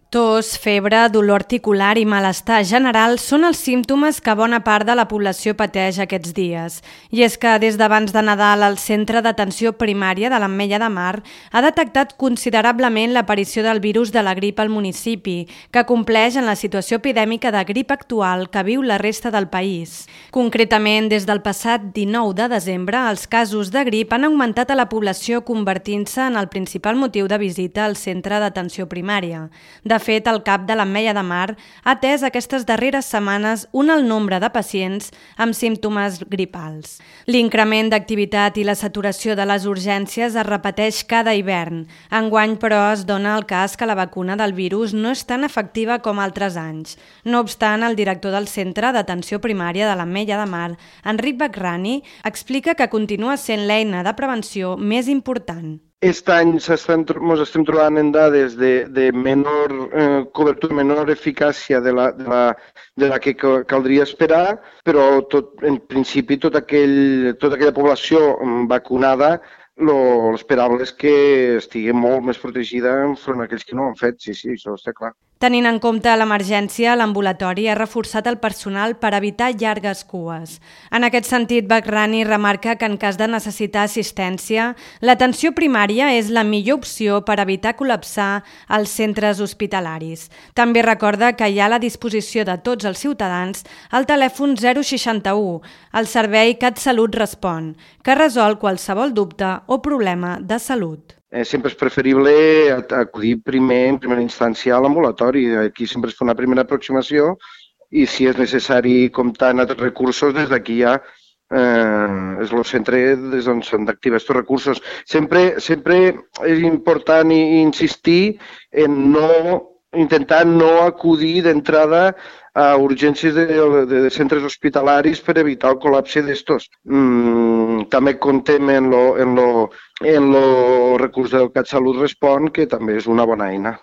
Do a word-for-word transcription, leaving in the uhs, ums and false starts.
Tos, febre, dolor articular i malestar general són els símptomes que bona part de la població pateix aquests dies. I és que des d'abans de Nadal el Centre d'Atenció Primària de l'Ametlla de Mar ha detectat considerablement l'aparició del virus de la grip al municipi, que compleix en la situació epidèmica de grip actual que viu la resta del país. Concretament, des del passat dinou de desembre, els casos de grip han augmentat a la població convertint-se en el principal motiu de visita al Centre d'Atenció Primària. De fet, el cap de l'Ametlla de Mar ha atès aquestes darreres setmanes un alt nombre de pacients amb símptomes gripals. L'increment d'activitat i la saturació de les urgències es repeteix cada hivern. Enguany, però, es dona el cas que la vacuna del virus no és tan efectiva com altres anys. No obstant, el director del Centre d'Atenció Primària de l'Ametlla de Mar, Enric Bakrani, explica que continua sent l'eina de prevenció més important. Aquest any ens estem trobant en dades de, de menor eh, cobertura, menor eficàcia de la, de la, de la que caldria esperar, però tot, en principi tot aquell, tota aquella població vacunada, l'esperable és que estigui molt més protegida enfront a aquells que no ho han fet, sí, sí, això està clar. Tenint en compte l'emergència, l'ambulatori ha reforçat el personal per evitar llargues cues. En aquest sentit, Bakrani remarca que en cas de necessitar assistència, l'atenció primària és la millor opció per evitar col·lapsar els centres hospitalaris. També recorda que hi ha a la disposició de tots els ciutadans el telèfon zero seixanta-u, el servei CatSalut Respon, que resol qualsevol dubte o problema de salut. Eh, sempre és preferible acudir primer, en primera instància, a l'ambulatori. Aquí sempre es fa una primera aproximació i si és necessari comptar amb altres recursos, des d'aquí ja eh, és el centre des d'on s'han d'activar aquests recursos. Sempre, sempre és important insistir en no intentar no acudir d'entrada a urgències de, de, de centres hospitalaris per evitar el col·lapse d'estos. Mm, també comptem en lo, en lo, en lo recurs del CatSalut Respon, que també és una bona eina.